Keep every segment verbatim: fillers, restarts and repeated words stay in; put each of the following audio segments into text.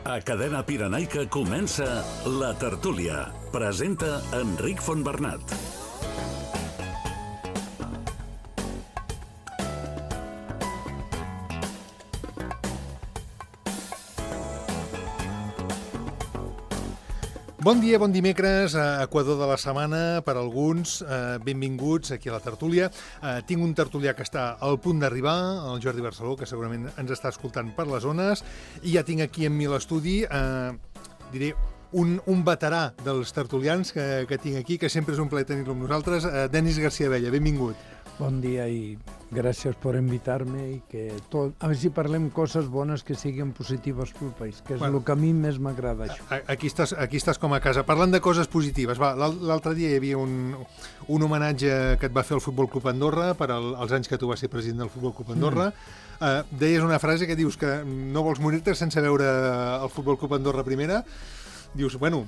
A Cadena Pirenaica comença La Tertúlia. Presenta Enric Fontbernat. Bon dia, bon dimecres, a Equador de la setmana per alguns. Eh, benvinguts aquí a la tertúlia. Eh, tinc un tertulià que està al punt d'arribar, el Jordi Barceló, que segurament ens està escoltant per les zones, i ja tinc aquí amb mi l'estudi, eh, diré, un, un veterà dels tertulians que, que tinc aquí, que sempre és un plaer tenir-lo amb nosaltres, eh, Denis García Abella, benvingut. Bon dia i gràcies per invitar-me i que tot... A veure si parlem coses bones que siguin positives pel país, que és bueno, el que a mi més m'agrada això. Aquí estàs, aquí estàs com a casa. Parlant de coses positives, va, l'altre dia hi havia un, un homenatge que et va fer el Futbol Club Andorra per al, als anys que tu vas ser president del Futbol Club Andorra. Mm. Uh, deies una frase que dius que no vols morir-te sense veure el Futbol Club Andorra primera. Dius, bueno,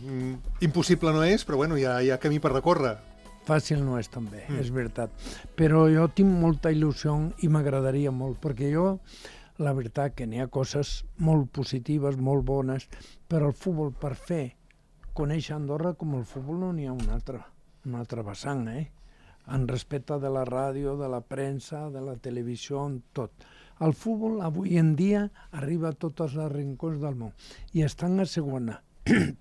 impossible no és, però bueno, hi ha, hi ha camí per recórrer. Fàcil no és també, mm. és veritat. Però jo tinc molta il·lusió i m'agradaria molt, perquè jo, la veritat que n'hi ha coses molt positives, molt bones, però el futbol per fer conèixer Andorra com el futbol no n'hi ha un altre, un altre vessant, eh? En respecte de la ràdio, de la premsa, de la televisió, tot. El futbol avui en dia arriba a tots els rincons del món i estan a segona.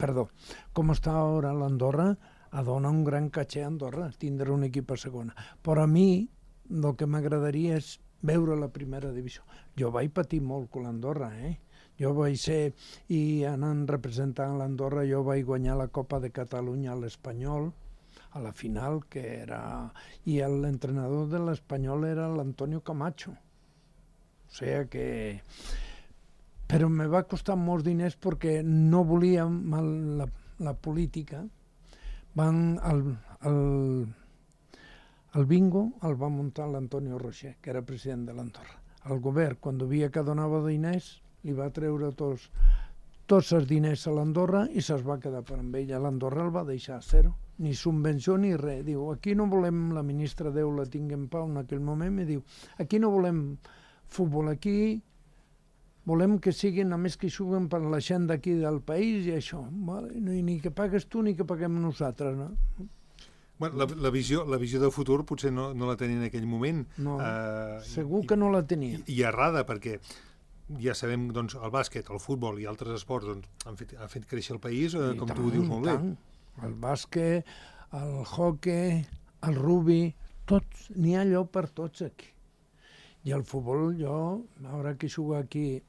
Perdó, com està ara l'Andorra, a donar un gran caché a Andorra, tindre un equip a segona. Però a mi el que m'agradaria és veure la primera divisió. Jo vaig patir molt amb l'Andorra, eh? Jo vaig ser, i anant representant l'Andorra, jo vaig guanyar la Copa de Catalunya a l'Espanyol, a la final, que era... I l'entrenador de l'Espanyol era l'Antonio Camacho. O sigui que... Però me va costar molts diners perquè no volia la, la política. Van al, al, al bingo el va muntar l'Antonio Rocher, que era president de l'Andorra. El govern, quan via que donava diners, li va treure tots, tots els diners a l'Andorra i se'ls va quedar per amb ella. L'Andorra el va deixar a zero, ni subvenció ni res. Diu, aquí no volem, la ministra Déu la tinc en pau en aquell moment, i diu, aquí no volem futbol, aquí volem que siguin, només que juguen per la gent d'aquí del país i això, vale? Ni que pagues tu ni que paguem nosaltres, no? Bueno, la, la, visió, la visió de futur potser no, no la tenia en aquell moment. No, uh, segur que no la tenia. I, i errada, perquè ja sabem, doncs, el bàsquet, el futbol i altres esports doncs, han, fet, han fet créixer el país, uh, com tant, tu ho dius molt tant. bé. El bàsquet, el hoquei, el rugby, tots, n'hi ha lloc per tots aquí. I el futbol, jo, ara que jugo aquí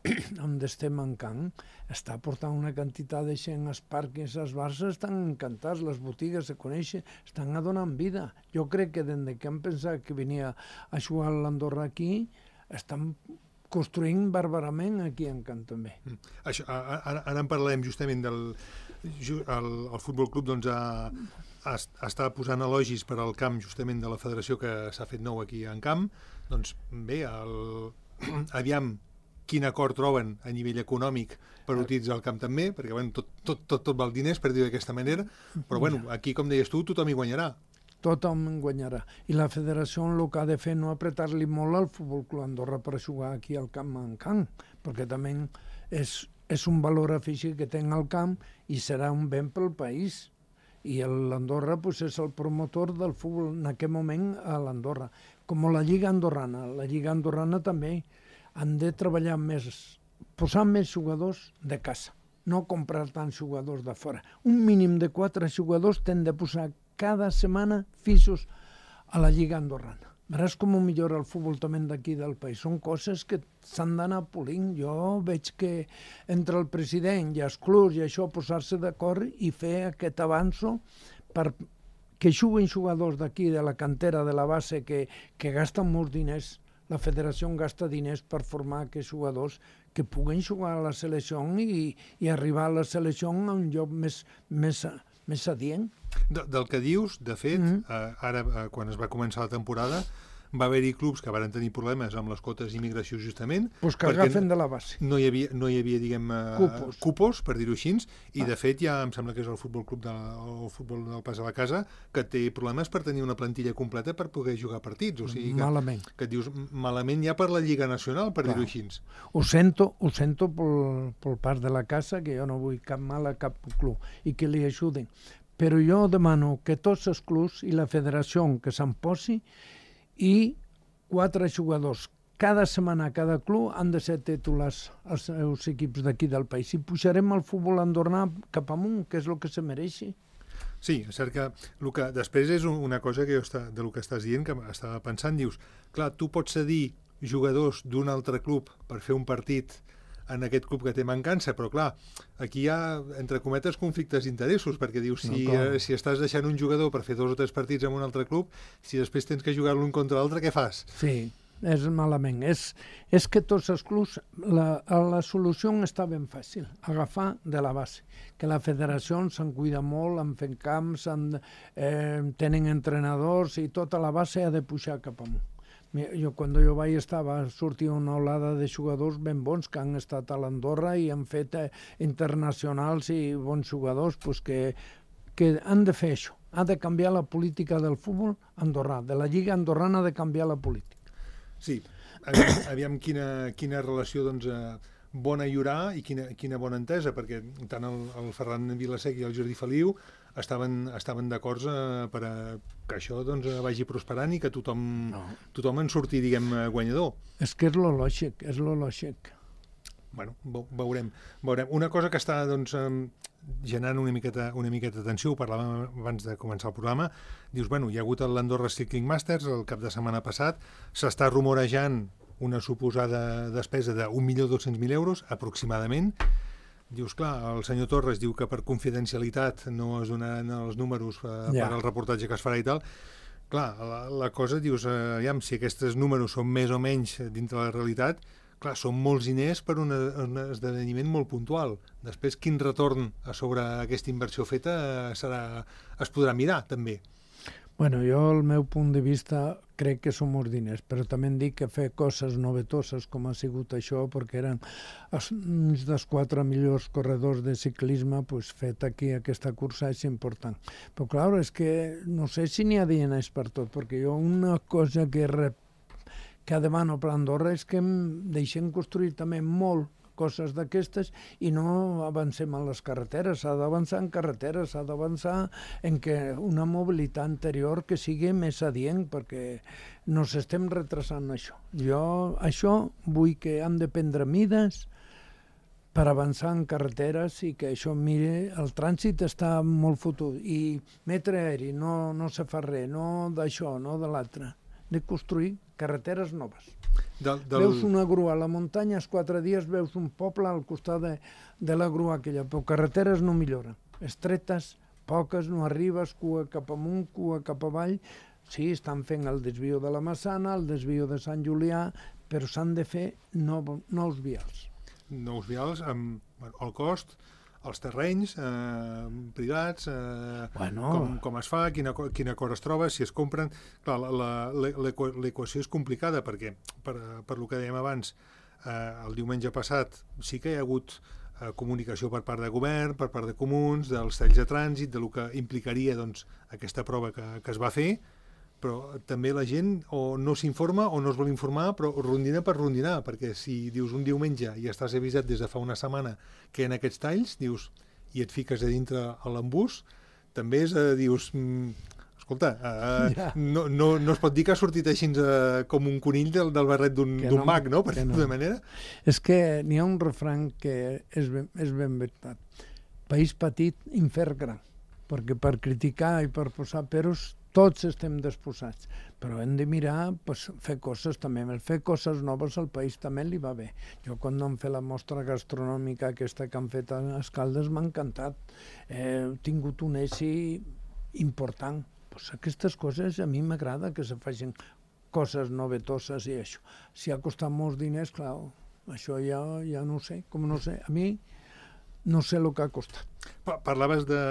on estem mancant, està portant una quantitat de gent als parcs, als bars, estan encantats, les botigues se coneixen, estan donant vida. Jo crec que des que han pensat que venia a jugar a l'Andorra aquí, estan construint bàrbarament aquí en Camp també. Mm. Això, ara, ara en parlarem justament del... El, el Futbol Club doncs, ha, ha, està posant elogis per al camp justament de la federació que s'ha fet nou aquí en Camp. Doncs bé, el... aviam quin acord troben a nivell econòmic per utilitzar el camp també, perquè bueno, tot, tot, tot, tot val diners, per dir-ho d'aquesta manera, però bueno, aquí, com deies tu, tothom hi guanyarà. Tothom en guanyarà. I la federació el que ha de fer no apretar-li molt al Futbol Club Andorra per jugar aquí al camp mancant, perquè també és, és un valor afegit que té el camp i serà un ben pel país. I l'Andorra pues, és el promotor del futbol en aquest moment a l'Andorra. Com la Lliga Andorrana. La Lliga Andorrana també han de treballar més, posar més jugadors de casa, no comprar tants jugadors de fora. Un mínim de quatre jugadors t'han de posar cada setmana fixos a la Lliga Andorrana. Veràs com millora el futbol també d'aquí del país. Són coses que s'han d'anar polint. Jo veig que entre el president i els clubs i això posar-se d'acord i fer aquest avanço per que juguen jugadors d'aquí, de la cantera, de la base, que, que gasten molts diners. La federació gasta diners per formar aquests jugadors que puguen jugar a la selecció i, i arribar a la selecció a un lloc més, més, més adient. De, del que dius, de fet, mm-hmm. eh, ara, eh, quan es va començar la temporada, va haver-hi clubs que van tenir problemes amb les quotes d'immigració justament. Pues que agafen de la base. No hi havia, no hi havia diguem, cupos. cupos, per dir-ho així, i ah. de fet ja em sembla que és el Futbol Club de, el futbol del Pas a la Casa que té problemes per tenir una plantilla completa per poder jugar partits. O sigui que, malament. Que et dius, malament ja per la Lliga Nacional, per dir-ho així. Ho sento, ho sento pel, pel Pas de la Casa, que jo no vull cap mal a cap club i que li ajuden. Però jo demano que tots els clubs i la federació que se'n posi i quatre jugadors cada setmana a cada club han de ser titulars als seus equips d'aquí del país. I pujarem el futbol andorrà cap amunt, que és el que se mereixi. Sí, és cert que, el que després és una cosa que jo està, de lo que estàs dient, que estava pensant, dius, clar, tu pots cedir jugadors d'un altre club per fer un partit en aquest club que té mancança, però clar, aquí hi ha, entre cometes, conflictes d'interessos, perquè dius, si, no, eh, si estàs deixant un jugador per fer dos o tres partits en un altre club, si després tens que jugar l'un contra l'altre, què fas? Sí, és malament. És, és que tots els clubs, la, la solució està ben fàcil, agafar de la base, que la federació se'n cuida molt, en fent camps, en, eh, tenen entrenadors i tota la base ha de pujar cap amunt. Jo, quan jo vaig estar, va sortir una olada de jugadors ben bons que han estat a l'Andorra i han fet eh, internacionals i bons jugadors pues, que, que han de fer això. Ha de canviar la política del futbol andorrà, de la Lliga andorrana ha de canviar la política. Sí, aviam, aviam quina, quina relació doncs, eh, bona hi haurà i quina, quina bona entesa, perquè tant el, el Ferran Vilasec i el Jordi Feliu estaven, estaven d'acord eh, per a que això doncs, vagi prosperant i que tothom, no. tothom en surti, diguem, guanyador. És que és lo lògic, és lo lògic. Bueno, veurem, veurem. Una cosa que està doncs, generant una miqueta, una miqueta d'atenció, ho parlàvem abans de començar el programa, dius, bueno, hi ha hagut l'Andorra Cycling Masters el cap de setmana passat, s'està rumorejant una suposada despesa d'un milió dos-cents mil euros, aproximadament. Dius, clar, el senyor Torres diu que per confidencialitat no es donaran els números eh, ja. per al reportatge que es farà i tal. Clar, la, la cosa, dius, eh, aviam, si aquests números són més o menys dintre la realitat, clar, són molts diners per un, un esdeveniment molt puntual. Després, quin retorn a sobre aquesta inversió feta eh, serà, es podrà mirar, també. Bueno, jo, el meu punt de vista, crec que són molts diners, però també em dic que fer coses novetoses com ha sigut això, perquè eren uns dels quatre millors corredors de ciclisme, pues, fet aquí aquesta cursa és important. Però, clar, és que no sé si n'hi ha diners per tot, perquè jo una cosa que rep que demano per Andorra és que deixem construir també molt coses d'aquestes i no avancem a les carreteres. S'ha d'avançar en carreteres, s'ha d'avançar en que una mobilitat anterior que sigui més adient, perquè no s'estem retrasant això. Jo això vull que hem de prendre mides per avançar en carreteres i que això, mire, el trànsit està molt fotut i metre aeri, no, no se fa res, no d'això, no de l'altre, de construir carreteres noves. Del, del... Veus una grua a la muntanya, els quatre dies veus un poble al costat de, de la grua aquella, però carreteres no milloren. Estretes, poques, no arribes, cua cap amunt, cua cap avall. Sí, estan fent el desvio de la Massana, el desvio de Sant Julià, però s'han de fer nou, nous vials. Nous vials amb bueno, el cost, els terrenys eh, privats, eh, bueno. com, com es fa, quin acord, quin acord es troba, si es compren. Clar, l'equació és complicada perquè, per, per lo que dèiem abans, eh, el diumenge passat sí que hi ha hagut eh, comunicació per part de govern, per part de comuns, dels talls de trànsit, de lo que implicaria doncs, aquesta prova que, que es va fer, però també la gent o no s'informa o no es vol informar, però rondina per rondinar, perquè si dius un diumenge i estàs avisat des de fa una setmana que en aquests talls, dius, i et fiques a dintre a l'embús, també és, eh, dius, mm, escolta, eh, ja. no, no, no es pot dir que ha sortit així eh, com un conill del, del barret d'un no, mag, no?, per dir-ho no. de manera. És que n'hi ha un refrany que és ben, és ben veritat. País petit, infern gran, perquè per criticar i per posar peros tots estem disposats, però hem de mirar, pues, fer coses també, fer coses noves al país també li va bé. Jo quan hem fet la mostra gastronòmica aquesta que han fet a Escaldes m'ha encantat, he tingut un èxit important. Pues aquestes coses a mi m'agrada que se facin coses novetoses i això. Si ha costat molts diners, clar, això ja, ja no sé, com no sé, a mi no sé el que ha costat. Parlaves de,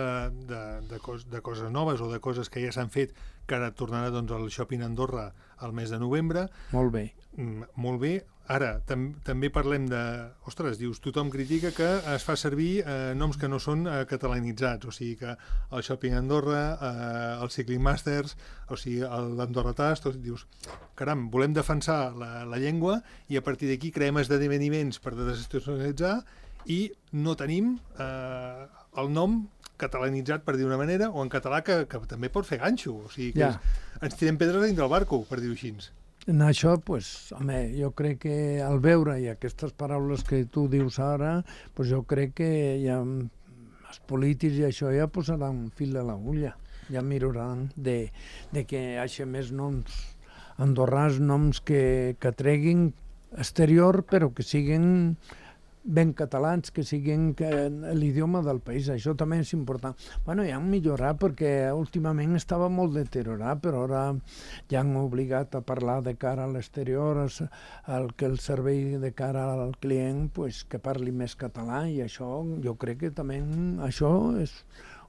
de, de, cos, de coses noves o de coses que ja s'han fet, que ara tornarà doncs, al Shopping Andorra al mes de novembre. Molt bé. Mm, molt bé. Ara, tam també parlem de... Ostres, dius, tothom critica que es fa servir eh, noms que no són eh, catalanitzats, o sigui que el Shopping Andorra, eh, el Cycling Masters, o sigui, l'Andorra Tast, tot, dius, caram, volem defensar la, la llengua i a partir d'aquí creem esdeveniments per desinstitucionalitzar i no tenim eh, el nom catalanitzat, per dir una manera, o en català, que, que també pot fer ganxo, o sigui que ja. és, ens tirem pedres dintre del barco, per dir-ho així. En això, pues, home, jo crec que al veure i aquestes paraules que tu dius ara, pues jo crec que ja, els polítics i això ja posaran fil a l'agulla, ja miraran de, de que hi hagi més noms andorrans, noms que, que treguin exterior, però que siguin ben catalans, que siguin l'idioma del país. Això també és important. Bueno, ja han millorat perquè últimament estava molt deteriorat, però ara ja han obligat a parlar de cara a l'exterior, el que el servei de cara al client, pues, que parli més català, i això jo crec que també això és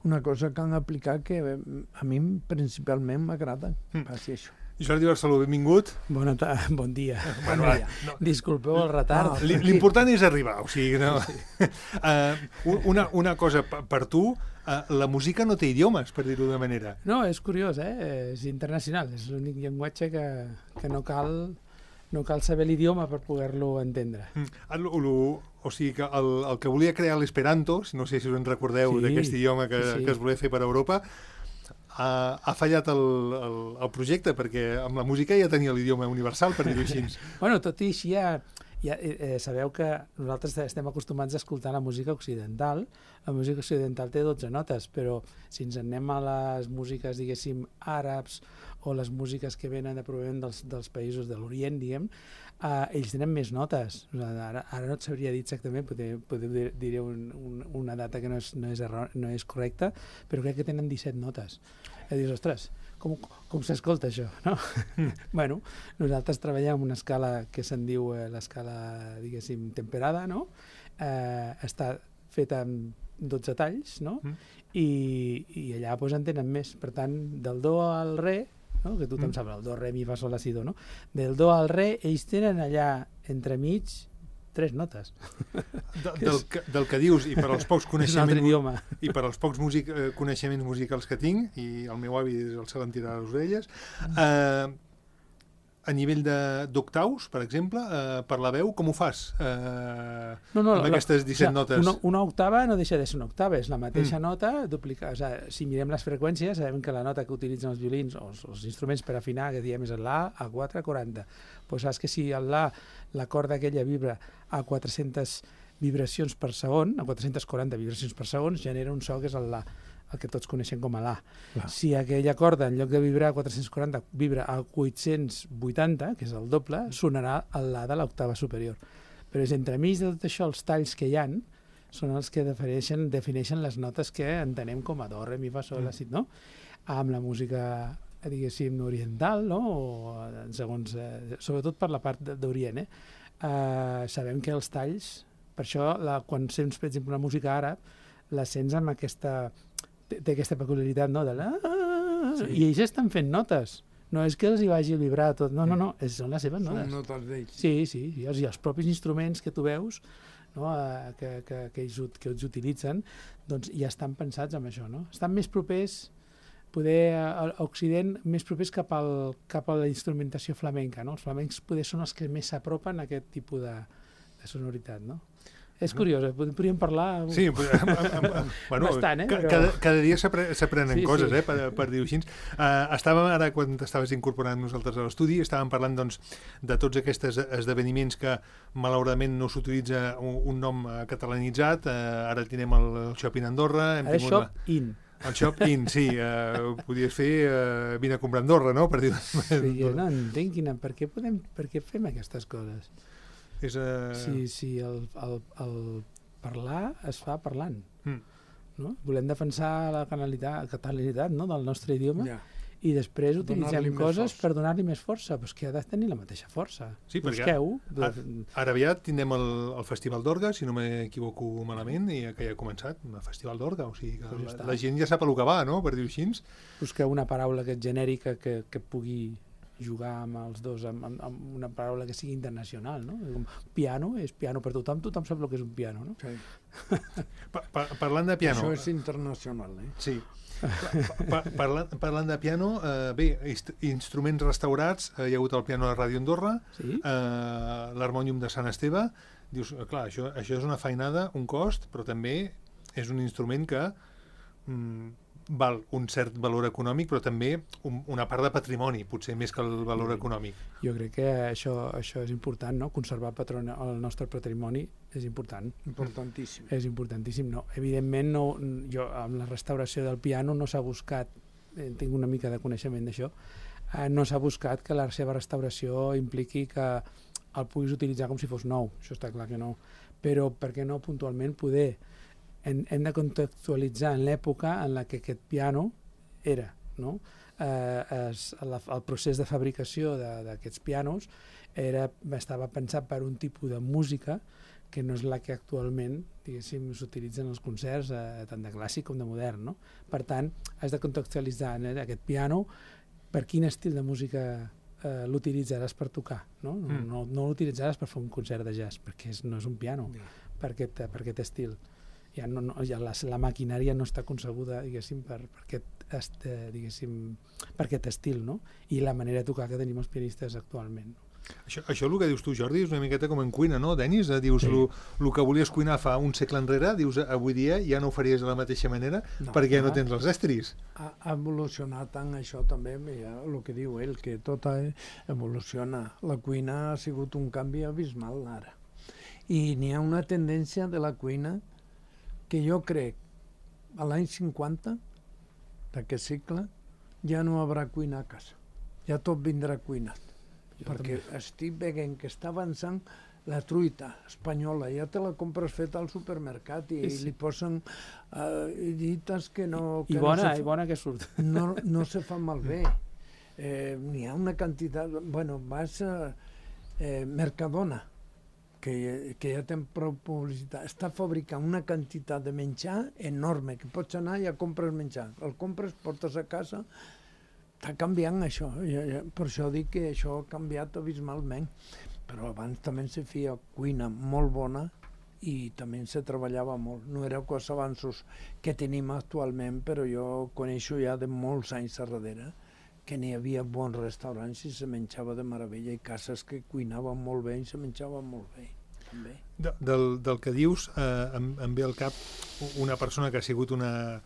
una cosa que han aplicat que a mi principalment m'agrada. Mm. Passi això. Jordi Barceló, benvingut. Bona bon dia. Bueno, bon dia. No. Disculpeu el retard. No, l'important és arribar, o sigui, no. Sí. uh, una, una cosa per tu, uh, la música no té idiomes, per dir-ho de manera. No, és curiós, eh? És internacional, és l'únic llenguatge que, que no cal no cal saber l'idioma per poder-lo entendre. Mm. El, el, o sigui que el, el que volia crear l'Esperanto, no sé si us en recordeu, sí, d'aquest idioma que, sí. que es volia fer per Europa, ha, ha fallat el, el, el projecte, perquè amb la música ja tenia l'idioma universal, per dir-ho així. Bueno, tot i així ja, ja eh, sabeu que nosaltres estem acostumats a escoltar la música occidental. La música occidental té dotze notes, però si ens anem a les músiques, diguéssim, àrabs, o les músiques que venen de provenent dels, dels països de l'Orient, diguem, eh, ells tenen més notes. Ara, ara no et sabria dir exactament, potser, potser dir, diré un, un, una data que no és, no, és error, no és correcta, però crec que tenen disset notes. I dius, ostres, com, com s'escolta això, no? Mm. Bueno, nosaltres treballem amb una escala que se'n diu eh, l'escala, diguéssim, temperada, no? Eh, està feta amb dotze talls, no? Mm. I, i allà pues, en tenen més. Per tant, del do al re, no? Que tothom mm. sap, el do, re, mi, fa, sol, la, si, do, no? Del do al re, ells tenen allà entremig tres notes. De, del, que, del que dius, i per als pocs coneixements i per als pocs music, eh, coneixements musicals que tinc, i el meu avi el se l'entira a les orelles, eh, a nivell d'octaus, per exemple, eh, per la veu, com ho fas? Eh, no, no, amb la, aquestes disset la, notes. Una, una octava no deixa de ser una octava, és la mateixa mm. nota duplicada. O sigui, si mirem les freqüències, sabem que la nota que utilitzen els violins o els, els instruments per afinar, que diem és l'A, A quatre, quaranta. Pues saps que si l'A, la corda aquella vibra a quatre-centes vibracions per segon, a quatre-centes quaranta vibracions per segon, genera un so que és el La, el que tots coneixem com a La. Clar. Si aquella corda, en lloc de vibrar a quatre-cents quaranta, vibra a vuit-cents vuitanta, que és el doble, sonarà el La de l'octava superior. Però és entremig de tot això, els talls que hi ha són els que defineixen, defineixen les notes que entenem com a do, re, mi, fa, sol, la, si, no? Amb la música, diguéssim, oriental, no? O, segons, eh, sobretot per la part d'Orient, eh? Eh, sabem que els talls, per això, la, quan sents, per exemple, una música àrab, la sents amb aquesta... té aquesta peculiaritat, no? De la... Sí. I ells estan fent notes. No és que els hi vagi a vibrar tot. No, no, no. Són les seves notes. Són notes d'ells. Sí, sí. I els, i els propis instruments que tu veus, no? eh, que, que, que, ells, que ells utilitzen, doncs ja estan pensats en això, no? Estan més propers, poder a Occident, més propers cap, al, cap a la instrumentació flamenca, no? Els flamencs poder són els que més s'apropen a aquest tipus de, de sonoritat, no? És curiós, eh? Podríem parlar sí, bueno, bastant, eh? Però... Cada, cada dia s'aprenen sí, coses, sí. eh? Per, per dir-ho així. Uh, estàvem ara, quan t'estaves incorporant nosaltres a l'estudi, estàvem parlant doncs, de tots aquests esdeveniments que malauradament no s'utilitza un, un nom catalanitzat. Uh, ara tenim el Shopping Andorra. Hem ara Shop la... In. El Shop In, sí. Uh, podies fer uh, vine a comprar Andorra, no? Per dir sí, jo no entenc quina... Per què, podem, per què fem aquestes coses? És, uh... Sí, sí, el, el, el parlar es fa parlant. Mm. No? Volem defensar la catalanitat, no? Del nostre idioma yeah. i després utilitzem Donar-li més coses força. per donar-li més força, però és que ha de tenir la mateixa força. Sí, perquè Busqueu. Ara, ara aviat tindrem el, el Festival d'Orga, si no m'equivoco malament, i que ja ha començat, el Festival d'Orga, o sigui que Pues ja la, està. la gent ja sap a lo que va, no?, per dir-ho així. Busqueu una paraula que és genèrica, que, que pugui jugar amb els dos, amb, amb, amb una paraula que sigui internacional, no? Com piano, és piano per tothom, tothom sap el que és un piano, no? Sí. Pa, pa, parlant de piano... Això és internacional, eh? Sí. Pa, pa, parlant, parlant de piano, eh, bé, inst instruments restaurats, eh, hi ha hagut el piano de Ràdio Andorra, Sí? eh, l'harmònium de Sant Esteve. Dius, eh, clar, això, això és una feinada, un cost, però també és un instrument que mm, val un cert valor econòmic, però també un, una part de patrimoni, potser més que el valor econòmic. Jo crec que això, això és important, no? Conservar patrona, el nostre patrimoni és important. Importantíssim. És importantíssim, no? Evidentment, no, jo amb la restauració del piano no s'ha buscat, eh, tinc una mica de coneixement d'això, eh, no s'ha buscat que la seva restauració impliqui que el puguis utilitzar com si fos nou, això està clar que no, però per què no puntualment poder hem, hem de contextualitzar en l'època en la que aquest piano era, no? Eh, es, la, el procés de fabricació d'aquests pianos era, estava pensat per un tipus de música que no és la que actualment, diguéssim, s'utilitza en els concerts, eh, tant de clàssic com de modern, no? Per tant, has de contextualitzar eh, aquest piano per quin estil de música eh, l'utilitzaràs per tocar, no? No, Mm. no, no l'utilitzaràs per fer un concert de jazz, perquè és, no és un piano Ja. per aquest, per aquest estil. Ja no, no, ja la, la maquinària no està concebuda, diguéssim, per, per, aquest, est, eh, diguéssim, per aquest estil, no? I la manera de tocar que tenim els pianistes actualment. No? Això, això el que dius tu, Jordi, és una miqueta com en cuina, no, Denis? Eh, dius, Sí. el que volies cuinar fa un segle enrere, dius, avui dia ja no ho faries de la mateixa manera, No, perquè ja no clar. tens els estris. Ha, ha evolucionat tant això també, ja, el que diu ell, que tot ha- evoluciona. La cuina ha sigut un canvi abismal ara. I n'hi ha una tendència de la cuina que jo crec a l'any cinquanta d'aquest segle ja no hi haurà cuina a casa. Ja tot vindrà cuinat. Jo Perquè també. estic veient que està avançant la truita espanyola, ja te la compres feta al supermercat i, Sí, i sí. li posen uh, dites que no... I que bona, no se i fa- bona que surt. no, no se fa malbé. Eh, N'hi ha una quantitat... Bueno, vas a eh, Mercadona, que, que ja té prou publicitat, està fabricant una quantitat de menjar enorme, que pots anar i ja compres menjar. El compres, portes a casa, està canviant això. Ja, ja, per això dic que això ha canviat abismalment. Però abans també se feia cuina molt bona i també se treballava molt. No era els avanços que tenim actualment, però jo coneixo ja de molts anys a darrere que n'hi havia bons restaurants i se menjava de meravella i cases que cuinaven molt bé i se menjaven molt bé. També. De, del, del que dius, eh, em, em ve al cap una persona que ha sigut una,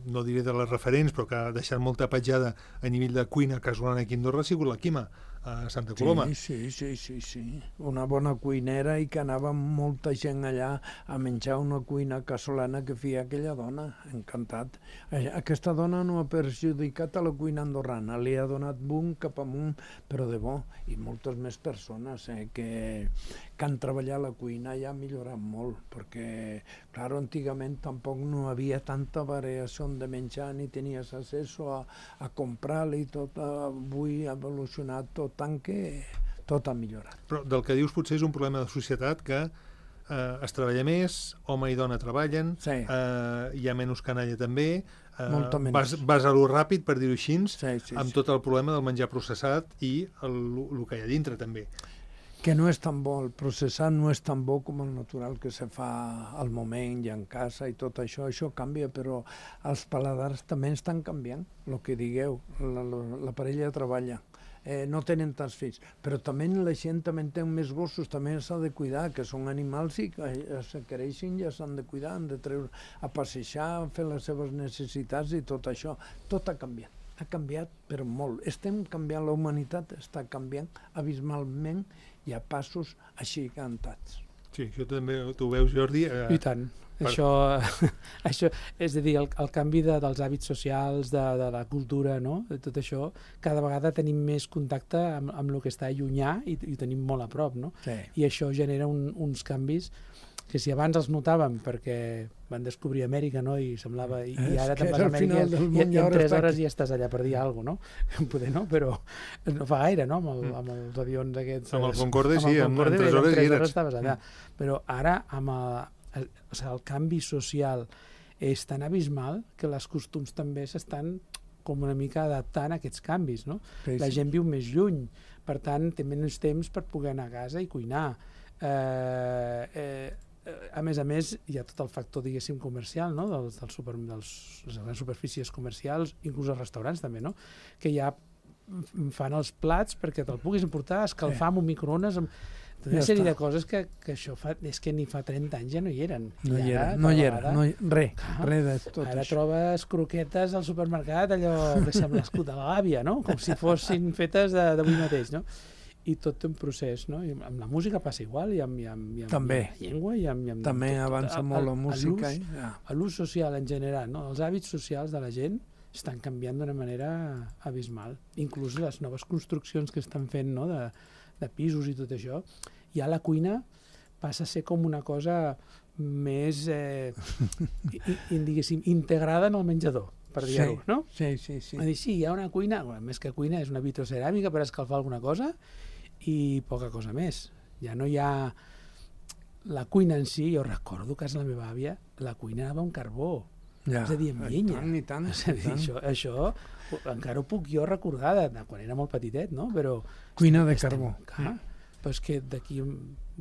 no diré de les referents, però que ha deixat molta petjada a nivell de cuina casolana aquí a Andorra, ha sigut la Quima, a Santa Coloma. Sí, sí, sí, sí, sí. Una bona cuinera i que anava molta gent allà a menjar una cuina casolana que feia aquella dona. Encantat. Aquesta dona no ha perjudicat a la cuina andorrana, li ha donat boom cap amunt, però de bo. I moltes més persones eh, que, que han treballat la cuina ja ha millorat molt, perquè, clar, antigament tampoc no havia tanta variació de menjar ni tenies accés a, a comprar-li tot. Avui ha evolucionat tot tant que tot ha millorat. Però del que dius potser és un problema de societat que eh, es treballa més, home i dona treballen, Sí. eh, hi ha menys canalla també, eh, Molta menys. vas, vas a lo ràpid, per dir-ho així, Sí, sí, amb sí. tot el problema del menjar processat i el, el que hi ha dintre també. Que no és tan bo, el processat no és tan bo com el natural que se fa al moment i en casa i tot això, això canvia, però els paladars també estan canviant, el que digueu, la, la, la parella treballa, eh, no tenen tants fills, però també la gent també té més gossos, també s'ha de cuidar, que són animals i que se creixen i ja s'han de cuidar, han de treure a passejar, fer les seves necessitats i tot això, tot ha canviat. Ha canviat, però molt. Estem canviant, la humanitat està canviant abismalment i a passos així cantats. Sí, això també tu ho veus, Jordi. Eh, I tant. Per- Això, això, és a dir, el, el canvi de, dels hàbits socials, de, de la cultura, no? De tot això, cada vegada tenim més contacte amb, amb el que està llunyà i, i ho tenim molt a prop, no? Sí. I això genera un, uns canvis que si abans els notàvem perquè van descobrir Amèrica, no?, i semblava... I, i ara te'n vas a Amèrica i, i en tres hores ja estàs allà per dir alguna cosa, no? Poder no, però no fa gaire, no?, amb, el, amb els avions aquests... Amb el Concorde, sí, amb el Concorde, en tres hores ja hi eres. estaves allà. Però ara, amb el, el, o sigui, el canvi social és tan abismal que les costums també s'estan com una mica adaptant a aquests canvis, no? Sí, la gent viu més lluny, per tant, té menys temps per poder anar a casa i cuinar. Eh, eh, a més a més, hi ha tot el factor, diguéssim, comercial, no?, dels, dels super, dels, les grans superfícies comercials, inclús els restaurants també, no?, que ja fan els plats perquè te'l puguis emportar, escalfar amb un microones, amb tota una ja sèrie està. De coses que, que això fa, és que ni fa trenta anys ja no hi eren. No I hi era, ara, no hi era, no hi, res, clar, res de tot ara això. trobes croquetes al supermercat, allò que sembla escut de la gàbia, no?, com si fossin fetes d'avui mateix, no?, i tot té un procés, no? I amb la música passa igual, i amb, i amb, i amb, també. I amb la llengua, i amb... I amb també tot, avança a, molt la a, música. A ja. l'ús social en general, no? Els hàbits socials de la gent estan canviant d'una manera abismal. Inclús les noves construccions que estan fent, no?, de, de pisos i tot això, ja la cuina passa a ser com una cosa més, eh, i, diguéssim, integrada en el menjador, per dir-ho, sí, no? Sí, sí, sí. Va dir, sí, hi ha una cuina, bueno, més que cuina, és una vitroceràmica per escalfar alguna cosa i poca cosa més. Ja no hi ha... La cuina en si, jo recordo que a la meva àvia, la cuina anava amb carbó, ja, és a dir, amb llenya. Tant, i tant, és a dir, això, això encara ho puc jo recordar de quan era molt petitet, no? Però... Cuina de carbó. Clar, però és que d'aquí...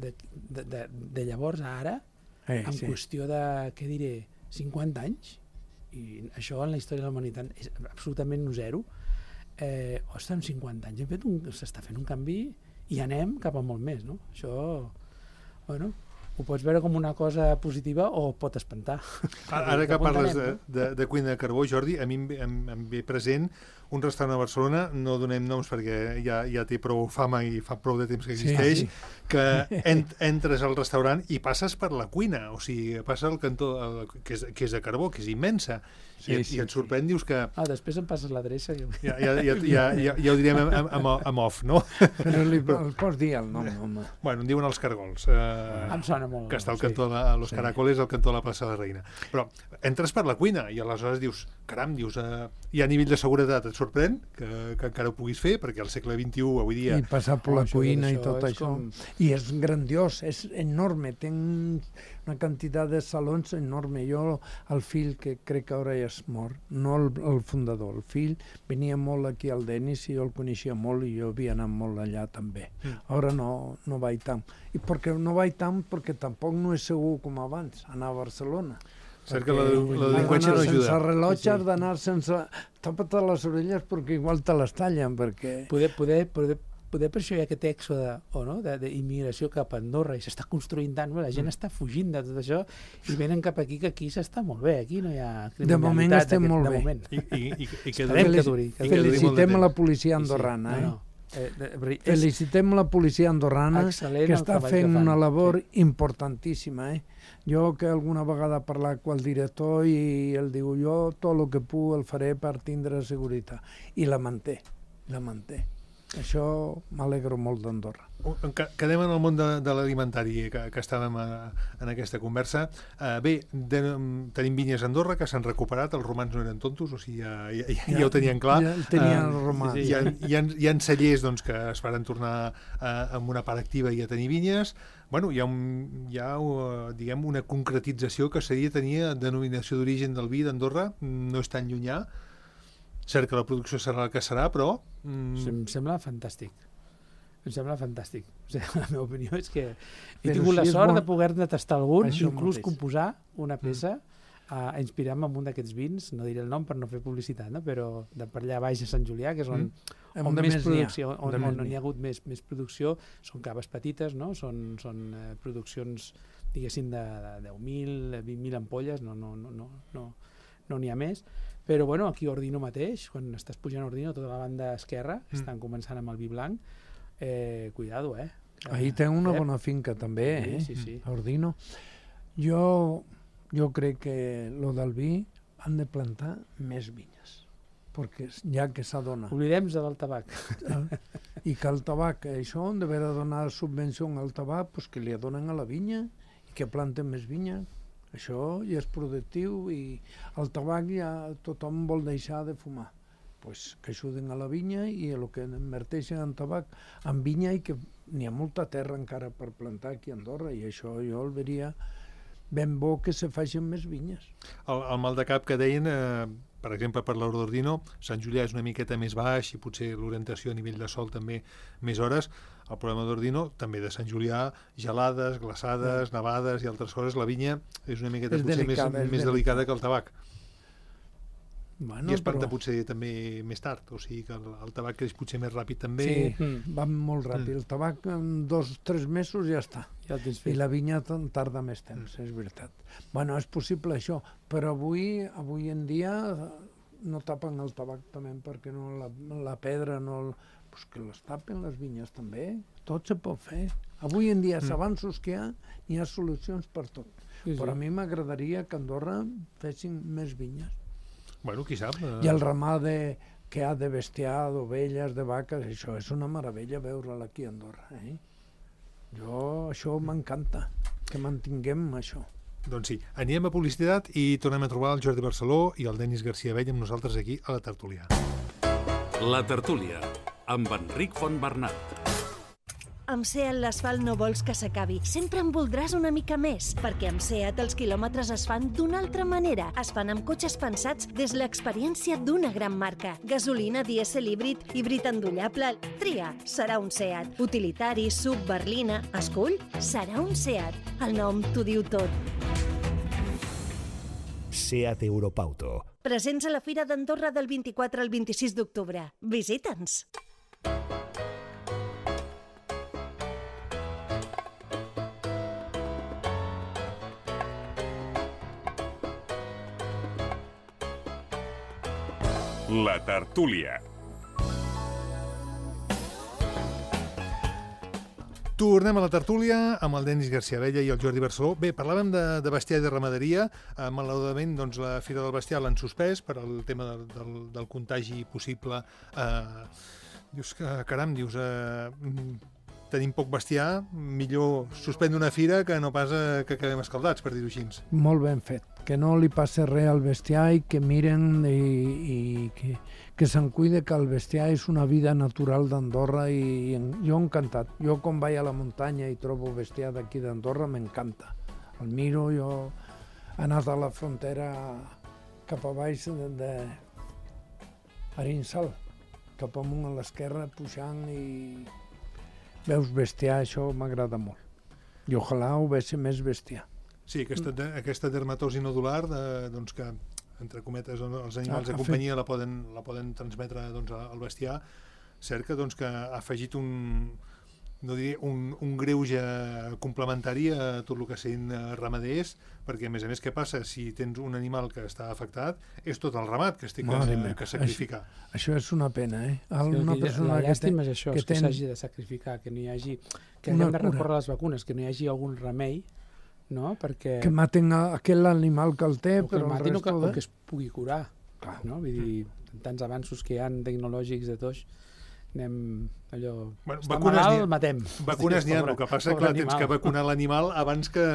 De, de, de, de llavors a ara, eh, en sí. qüestió de, què diré, cinquanta anys, i això en la història de la humanitat és absolutament zero, eh, ostres, en cinquanta anys hem fet un, s'està fent un canvi i anem cap a molt més, no? Això, bueno, ho pots veure com una cosa positiva o pot espantar. Ara, ara que parles de, de, de cuina de carbó, Jordi, a mi em, em, em ve present un restaurant a Barcelona, no donem noms perquè ja, ja té prou fama i fa prou de temps que existeix, sí, sí. que en, entres al restaurant i passes per la cuina, o sigui, passa al cantó, el, que, és, que és de carbó, que és immensa, sí, i, sí, i et sorprèn, sí. Dius que... Ah, després em passes l'adreça. Jo... Ja, ja, ja, ja, ja, ja ho direm amb, amb, amb off, no? Però li el pots dir el nom, home. Bueno, en diuen els Cargols. Eh, em sona molt. Que està al cantó de Los sí. Caracoles, al cantó de la plaça de la Reina. Però entres per la cuina i aleshores dius, caram, dius, eh, hi ha nivell de seguretat, et sorprèn que, que encara ho puguis fer, perquè al segle vint-i-u, avui dia... I passar per la cuina i tot això. Com... I és grandiós, és enorme, té una quantitat de salons enorme. Jo, el fill, que crec que ara ja és mort, no el, el fundador, el fill, venia molt aquí al Denis i jo el coneixia molt i jo havia anat molt allà també. Mm. Ara no, no vaig tant. I perquè no vaig tant perquè tampoc no és segur com abans, anar a Barcelona. Cert que la, la delinqüència no ajuda. Sense rellotge has d'anar sense... Tapa't les orelles perquè igual te les tallen, perquè... Poder, poder, poder, poder per això hi ha aquest èxode o no? d'immigració cap a Andorra i s'està construint tant, la gent mm. està fugint de tot això i venen cap aquí, que aquí s'està molt bé, aquí no hi ha criminalitat. De moment estem molt de bé. Moment. I, i, i, i que, duri, que duri. Que felicitem a la policia andorrana, sí, sí. No, no. eh? Eh, Felicitem la policia andorrana que està fent una labor sí. importantíssima. Eh? Jo que alguna vegada he parlat amb el director i ell diu jo tot el que puc el faré per tindre seguretat. I la manté, la manté. Això m'alegro molt d'Andorra. Quedem en el món de, de l'alimentari que, que estàvem a, en aquesta conversa. Uh, bé, de, tenim vinyes a Andorra que s'han recuperat, els romans no eren tontos, o sigui, ja, ja, ja, ja ho tenien clar. Ja tenien uh, els romans. Hi ha, hi ha, hi ha cellers doncs, que es faran tornar uh, amb una part activa i a tenir vinyes. Bueno, hi ha, un, hi ha uh, diguem, una concretització que seria tenir denominació d'origen del vi d'Andorra, no és tan llunyà. Cert que la producció serà el que serà, però... Mm... Em sembla fantàstic. Em sembla fantàstic. O sigui, la meva opinió és que he però tingut si la sort bon... de poder-ne tastar algun, això inclús composar una peça mm. a, a inspirar-me amb un d'aquests vins, no diré el nom per no fer publicitat, no? Però de per allà baix a Sant Julià, que és on, mm. on, on més producció, on, on, on hi ha hagut més, més producció, són caves petites, no? Són, són eh, produccions, diguéssim, de, de deu mil, vint mil ampolles, no n'hi no, no, no, no ha més. Però bueno, aquí a Ordino mateix, quan estàs pujant a Ordino, tota la banda esquerra, mm. estan començant amb el vi blanc, eh, cuidado, eh? Ahí té una bona finca també, eh? Sí, sí, sí. A Ordino. Jo, jo crec que lo del vi han de plantar més vinyes, perquè ja que s'adona. Oblidem-nos del tabac. I que el tabac, això on d'haver de donar subvenció al tabac, pues que li donen a la vinya, que planten més vinya. Això ja és productiu i el tabac ja tothom vol deixar de fumar. Pues que ajuden a la vinya i el que inverteixen en tabac en vinya i que n'hi ha molta terra encara per plantar aquí a Andorra i això jo el veria ben bo que se facin més vinyes. El, el mal de cap que deien, eh, per exemple, per l'Ordordino, Sant Julià és una miqueta més baix i potser l'orientació a nivell de sol també més hores. El problema d'Ordino, també de Sant Julià, gelades, glaçades, no. nevades i altres coses. La vinya és una miqueta és potser delicada, més, més delicada que el tabac. Bueno, I espanta però... potser també més tard, o sigui que el, el tabac creix potser més ràpid també. Sí, mm. va molt ràpid. Mm. El tabac en dos o tres mesos ja està. Ja el tens fet. I la vinya tarda més temps, mm. és veritat. Bueno, és possible això, però avui, avui en dia no tapen el tabac també perquè no la, la pedra no... El... Pues que les tapen les vinyes també, tot se pot fer. Avui en dia, els mm. avanços que hi ha, hi ha solucions per tot. Sí, sí. Però a mi m'agradaria que a Andorra fessin més vinyes. Bueno, qui sap? Eh... I el ramat de, que ha de bestiar, d'ovelles, de vaques, això és una meravella veure-la aquí a Andorra. Eh? Jo, això m'encanta, que mantinguem això. Doncs sí, anirem a publicitat i tornem a trobar el Jordi Barceló i el Denis García Vell amb nosaltres aquí a la tertúlia. La tertúlia, amb Enric Fontbernat. Amb SEAT l'asfalt no vols que s'acabi. Sempre en voldràs una mica més, perquè amb SEAT els quilòmetres es fan d'una altra manera. Es fan amb cotxes pensats des l'experiència d'una gran marca. Gasolina, dièsel, híbrid, híbrid endollable... Tria, serà un SEAT. Utilitari, sub, berlina... Escull, serà un SEAT. El nom t'ho diu tot. SEAT Europauto. Presents a la Fira d'Andorra del vint-i-quatre al vint-i-sis d'octubre. Visita'ns! La tertúlia. Tornem a la tertúlia amb el Denis García Vella i el Jordi Barceló. Bé, parlàvem de, de bestiar i de ramaderia. Eh, malauradament, doncs, la Fira del Bestiar l'han suspès per al tema del, del, del contagi possible. Eh, dius que, caram, dius... Eh, tenim poc bestiar, millor suspendre una fira que no pas eh, que quedem escaldats, per dir-ho així. Molt ben fet. Que no li passi res al bestiar i que miren i, i que, que se'n cuide, que el bestiar és una vida natural d'Andorra i, i jo encantat. Jo quan vaig a la muntanya i trobo bestiar d'aquí d'Andorra m'encanta. El miro, jo he anat a la frontera cap a baix de, de Arinsal, cap amunt a l'esquerra, pujant i veus bestiar, això m'agrada molt. I ojalà ho vegi més bestiar. Sí, aquesta, aquesta dermatosi nodular, de, doncs que, entre cometes, els animals Ah, de ha companyia la poden, la poden transmetre doncs, al bestiar, cert que, doncs, que ha afegit un, no diré, un, un greuge complementari a tot el que sent ramaders, perquè, a més a més, què passa? Si tens un animal que està afectat, és tot el ramat que es té que, Mare que sacrificar. Això, això és una pena, eh? Sí, una que persona la que llàstima té- és això, que és que ten- s'hagi de sacrificar, que no hi hagi... Que Una haguem de cura. recórrer a les vacunes, que no hi hagi algun remei, no? Perquè... que maten a aquell animal que el té, o que el però el matin o que, resto o de... que es pugui curar. Clar. No? Vull dir, tants avanços que hi ha tecnològics de tots, anem allò... Bueno, està vacunes malalt, n'hi ha- matem. Vacunes n'hi ha, Pobre- el que passa, pobre clar, tens animal. que vacunar l'animal abans que,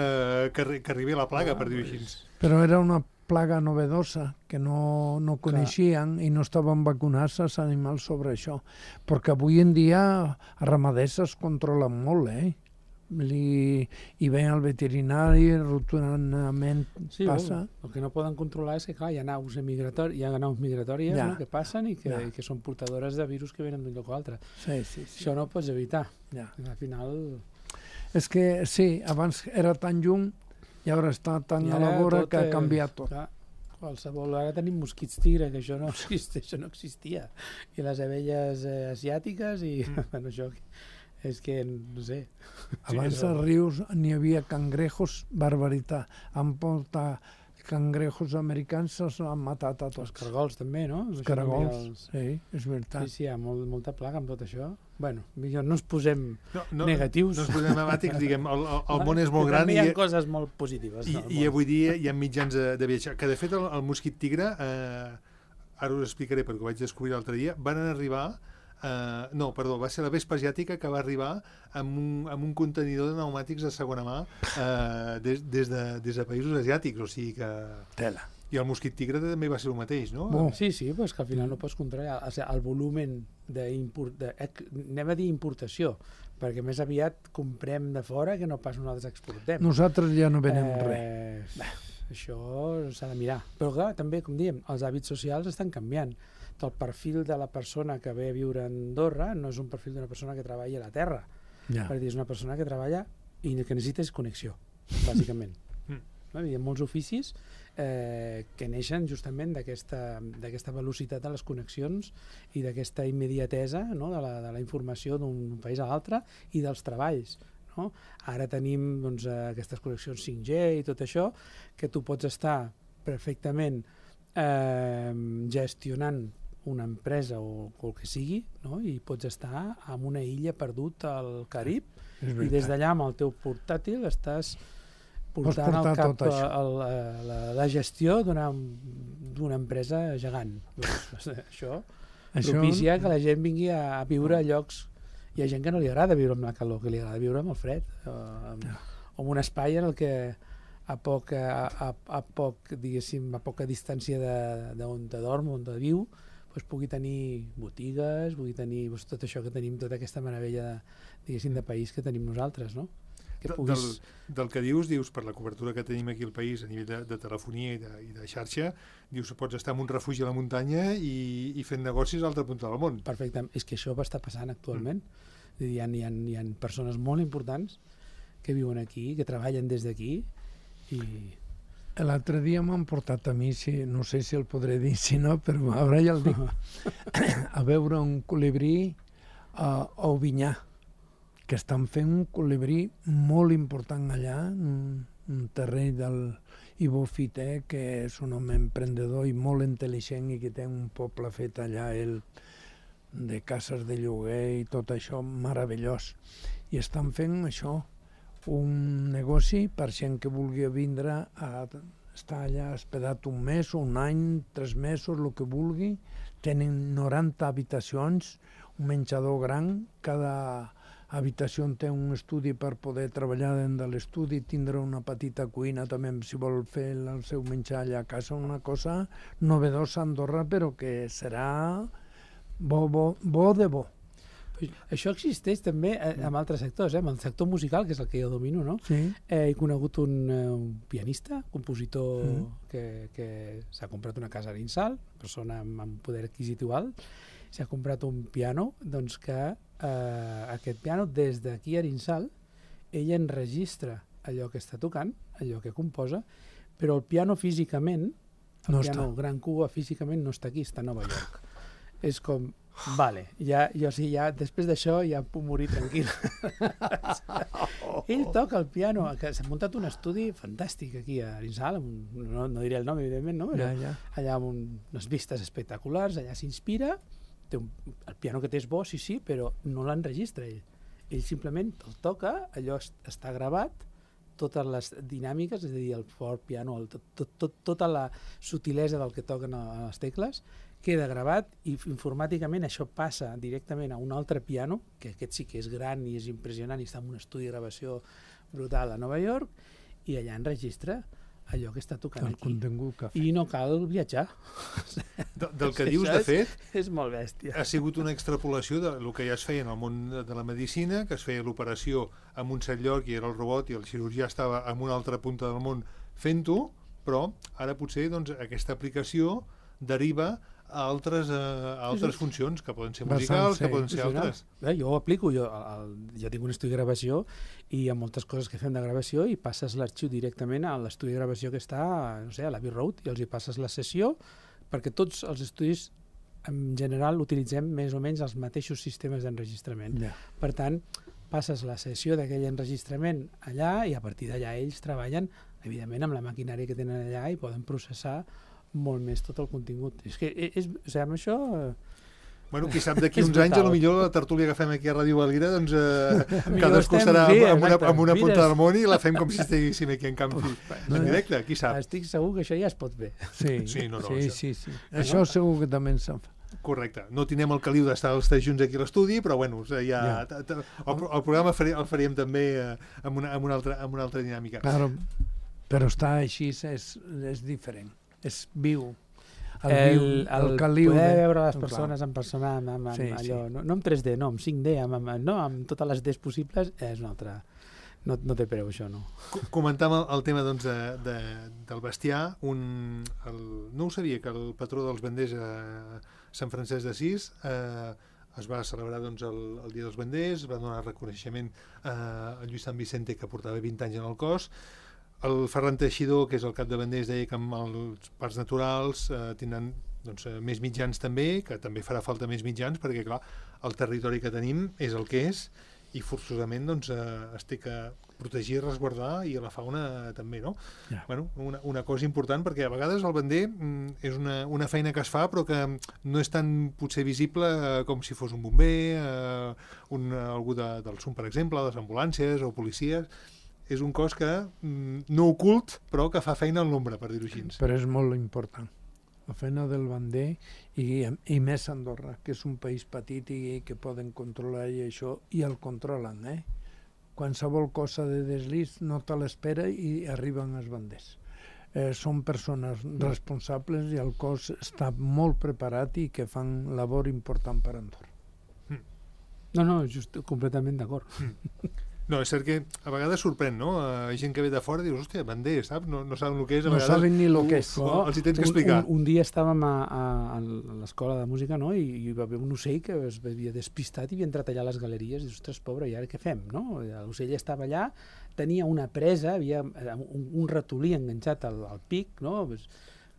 que, arri- que arribi la plaga, Ah, per dir-ho pues- així. Però era una plaga novedosa que no, no coneixien i no estaven vacunats els animals sobre això. Perquè avui en dia els ramaders es controlen molt, eh? Li, i ven al veterinari, rotundament Sí, passa... el, el que no poden controlar és que, clar, hi ha naus, migratori, hi ha naus migratòries Ja. no, que passen i que, Ja. i que són portadores de virus que venen d'un lloc a altre. Sí, sí, sí. Això no ho pots evitar. Ja. I al final... És que sí, abans era tan lluny i ara està tan i a ara la vora tot que ha és- canviat tot. Clar, qualsevol... Ara tenim mosquits tigre, que això no, existeix, això no existia. I les abelles eh, asiàtiques i... Mm. Bueno, això és que, no sé... Abans Sí, als rius n'hi havia cangrejos, barbaritat. Han portat cangrejos americans, els han matat a Els tots. cargols també, no? Els Això també, caragols, els- sí, és veritat. Sí, sí, hi ha molt, molta plaga amb tot això. Bueno, millor no ens posem No, no, negatius. No ens posem emàtics, diguem, el, el, el món és molt Que gran també i, hi ha coses molt positives. i, no, i avui dia hi ha mitjans de, de viatjar. Que, de fet, el, el mosquit tigre, eh, ara us explicaré perquè ho vaig descobrir l'altre dia, van arribar Uh, no, perdó, va ser la vespa asiàtica que va arribar amb un, amb un contenidor de pneumàtics de segona mà uh, des, des, de, des de països asiàtics, o sigui que... Tela. I el mosquit tigre també va ser el mateix, no? Bon. Sí, sí, però és que al final no pots controlar o sigui, el volumen d'import... anem a dir importació, perquè més aviat comprem de fora que no pas nosaltres exportem. Nosaltres ja no venem eh, res. Bé, això s'ha de mirar. Però clar, també, com diem, els hàbits socials estan canviant. El perfil de la persona que ve a viure a Andorra no és un perfil d'una persona que treballa a la terra. Ja. Per dir, és una persona que treballa i el que necessita és connexió, bàsicament. No? Hi ha molts oficis eh, que neixen justament d'aquesta velocitat de les connexions i d'aquesta immediatesa, no? de, la, de la informació d'un país a l'altre i dels treballs. No? Ara tenim doncs, aquestes connexions cinc G i tot això, que tu pots estar perfectament eh, gestionant una empresa o el que sigui, no? I pots estar en una illa perdut al Carib i des d'allà amb el teu portàtil estàs portant al cap tot això. el, la, la gestió d'una empresa gegant. Doncs, això, això propicia que la gent vingui a, a viure a llocs... Hi ha gent que no li agrada viure amb la calor, que li agrada viure amb el fred, o amb, o amb un espai en el que a poc, a, a, a poc, diguéssim, a poca distància d'on te dorm, on te viu, pues, pugui tenir botigues, pugui tenir pues, tot això que tenim, tota aquesta meravella de, diguéssim, de país que tenim nosaltres, no? Que puguis... del, del que dius, dius, per la cobertura que tenim aquí al país a nivell de, de telefonia i de, i de xarxa, dius, pots estar en un refugi a la muntanya i, i fent negocis a l'altra punta del món. Perfecte, és que això va estar passant actualment. Mm. Hi ha, hi ha, hi ha persones molt importants que viuen aquí, que treballen des d'aquí i... L'altre dia m'han portat a mi, si, no sé si el podré dir, si no, però ara ja el dic, a veure un colibrí a, a Ovinyà, que estan fent un colibrí molt important allà, un, un terreny del Ivo Fité, que és un home emprendedor i molt intel·ligent i que té un poble fet allà, ell, de cases de lloguer i tot això, meravellós. I estan fent això, un negoci per gent que vulgui vindre a estar allà hospedat un mes, un any, tres mesos, el que vulgui. Tenen noranta habitacions, un menjador gran, cada habitació té un estudi per poder treballar dins de l'estudi, tindre una petita cuina també si vol fer el seu menjar allà a casa, una cosa novedosa a Andorra, però que serà bo, bo, bo de bo. Això existeix també en altres sectors, eh? En el sector musical, que és el que jo domino, no? Sí. Eh, he conegut un, un pianista, compositor mm. que, que s'ha comprat una casa a Arinsal, persona amb, amb poder adquisitiu alt, s'ha comprat un piano, doncs que eh, aquest piano, des d'aquí a Arinsal, ell enregistra allò que està tocant, allò que composa, però el piano físicament, el no piano està. Gran Cuba físicament no està aquí, està a Nova York. És com... Vale, ja, jo sí, ja, després d'això ja puc morir tranquil. Ell toca el piano, que s'ha muntat un estudi fantàstic aquí a Arinsal, no, no diré el nom, evidentment, no? Però ja, ja. Allà amb un, unes vistes espectaculars, allà s'inspira, té un, el piano que té és bo, sí, sí, però no l'enregistra ell. Ell simplement el toca, allò està gravat, totes les dinàmiques, és a dir, el fort piano, el, tot, tot, tot, tota la sutilesa del que toquen a les tecles, queda gravat i informàticament això passa directament a un altre piano, que aquest sí que és gran i és impressionant i està en un estudi de gravació brutal a Nova York, i allà enregistra allò que està tocant el aquí. Que I no cal viatjar. De, del que dius, de fet, és molt bèstia. Ha sigut una extrapolació del que ja es feia en el món de la medicina, que es feia l'operació en un cert lloc i era el robot i el cirurgià estava en una altra punta del món fent-ho, però ara potser doncs, aquesta aplicació deriva a altres, a altres funcions, que poden ser musicals, que poden ser altres. Eh, jo ho aplico, jo, el, jo tinc un estudi de gravació i hi ha moltes coses que fem de gravació i passes l'arxiu directament a l'estudi de gravació que està, no sé, a l'Abbey Road, i els hi passes la sessió, perquè tots els estudis en general utilitzem més o menys els mateixos sistemes d'enregistrament. Yeah. Per tant, passes la sessió d'aquell enregistrament allà i a partir d'allà ells treballen, evidentment, amb la maquinària que tenen allà i poden processar molt més tot el contingut. És que, és, o sigui, amb això... Bueno, qui sap, d'aquí uns brutal. anys, potser la tertúlia que fem aquí a Ràdio Valira, doncs eh, cadascú estem, serà sí, amb una, amb una punta Mires. del món i la fem com si estiguéssim aquí en camp en directe, qui sap. Estic segur que això ja es pot fer. Sí, sí, no, no, sí, això. sí, sí. Això segur que també en sap. Correcte. No tindrem el caliu d'estar els tres junts aquí a l'estudi, però bueno, ja, ja. El, el programa el faríem també amb una, amb una, altra, amb una altra dinàmica. Claro, però estar així és, és diferent, és viu. El, el, el, el caliu poder de... veure les persones clar. en persona amb, amb, amb sí, allò, sí. No, no en tres D, no, en cinc D, amb, amb, no, amb totes les Ds possibles, és una altra... No, no té preu, això, no. Comentàvem el, el tema doncs, de, de, del bestiar. Un, el, no ho sabia, que el patró dels banders a Sant Francesc d'Assís eh, es va celebrar doncs, el, el Dia dels Banders, va donar reconeixement eh, a Lluís Sant Vicente, que portava vint anys en el cos. El Ferran Teixidor, que és el cap de banders, deia que amb els parcs naturals eh, tindran doncs, més mitjans també, que també farà falta més mitjans, perquè clar, el territori que tenim és el que és, i forçosament doncs, eh, es té que protegir, resguardar, i a la fauna també, no? Yeah. Bueno, una, una cosa important, perquè a vegades el bander mm, és una, una feina que es fa, però que no és tan potser visible eh, com si fos un bomber, eh, un, algú de, del S U M, per exemple, les ambulàncies o policies. És un cos que mm, no ocult, però que fa feina en l'ombra, per dir-ho així. Però és molt important. La feina del bander i, i més Andorra, que és un país petit i que poden controlar i això, i el controlen, eh? Qualsevol cosa de deslís no te l'espera i arriben els banders. Eh, són persones responsables i el cos està molt preparat i que fan labor important per Andorra. Mm. No, no, just completament d'acord. Mm. No, és cert que a vegades sorprèn, no? Hi ha gent que ve de fora i dius, hòstia, bander, saps? No, no saben el que és. A no vegades, saben ni el que és. No, els hi tens que explicar. Un, un, un dia estàvem a, a, a l'escola de música, no? I, i hi va haver un ocell que es havia despistat i havia entrat allà a les galeries i dius, ostres, pobre, i ara què fem, no? L'ocell estava allà, tenia una presa, havia un, un ratolí enganxat al, al pic, no? Pues,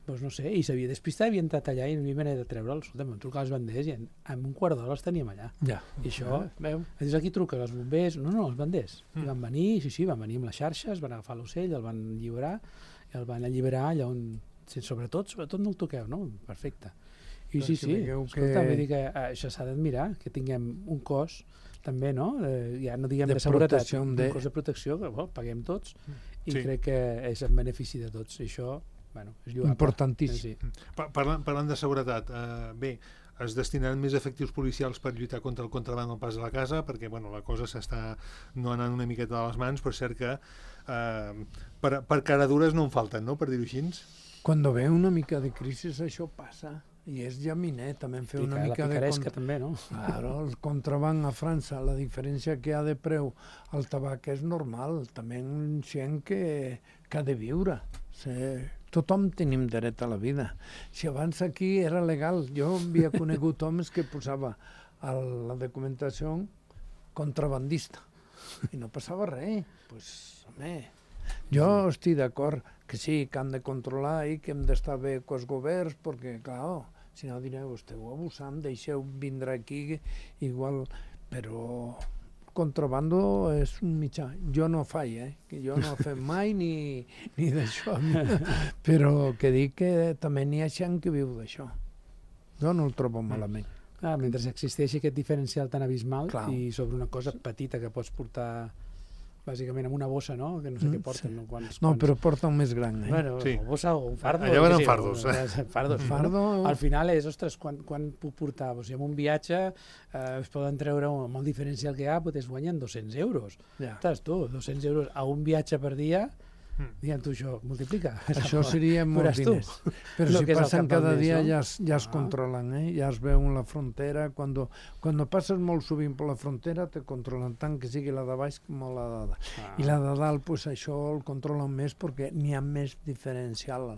doncs no sé, i s'havia despistat, havia entrat allà i no hi havia de treure'l. Escolta, vam trucar als banders i en, en un quart d'hora els teníem allà. Ja. I això, veu? Dius, aquí truca els bombers. No, no, els banders. Mm. I van venir, sí, sí, van venir amb les xarxes, van agafar l'ocell, el van alliberar, i el van alliberar allà on... Sobretot, sobretot no el toqueu, no? Perfecte. I sí, sí, escolta, vull dir que això s'ha d'admirar, que tinguem un cos també, no? Eh, ja no diguem de, de seguretat, un de... cos de protecció que well, paguem tots i sí. Crec que és en benefici de tots. I això... Bueno, és importantíssim. Sí. Parlant, parlant de seguretat, eh, bé, es destinaran més efectius policials per lluitar contra el contraban al pas de la casa, perquè bueno, la cosa s'està no anant una miqueta de les mans, però és cert que eh, per, per caradures no en falten, no?, per dir-ho així. Quan ve una mica de crisi això passa, i és llaminet, també en fer una mica de... La picaresca també, no? Claro, el contraban a França, la diferència que hi ha de preu al tabac és normal, també gent que, que ha de viure, sí. Tothom tenim dret a la vida. Si abans aquí era legal, jo havia conegut homes que posava a la documentació contrabandista i no passava res. Pues, home, jo estic d'acord que sí, que han de controlar i que hem d'estar bé amb els governs, perquè, clar, si no direu, esteu abusant, deixeu vindre aquí, igual, però... contrabando és un mitjà. Jo no faig, eh? Que jo no he fet mai ni, ni d'això. Però que dic que també n'hi ha gent que viu d'això. Jo no el trobo malament. Ah, mentre existeixi aquest diferencial tan abismal Clar. I sobre una cosa petita que pots portar bàsicament amb una bossa, no? Que no sé mm, què porten. Sí. No, quants, no quants... però porta un més gran, eh? Bueno, sí. bossa o un fardo. Allà van amb fardos. Eh? Fardos. Fardo... Al final és, ostres, quan, quan puc portar? O sigui, en un viatge eh, es poden treure, amb el diferencial que hi ha, es guanyen dos-cents euros. Ja. Ostres, tu, dos-cents euros a un viatge per dia, diguem tu això, multiplica. Això seria molts diners. Però no, si passen cada mes, dia no? ja, es, ja es ah. controlen, eh? Ja es veuen la frontera. Quan quan passes molt sovint per la frontera te controlen tant que sigui la de baix com la de dalt. Ah. I la de dalt, pues, això el controlen més perquè n'hi ha més diferencial.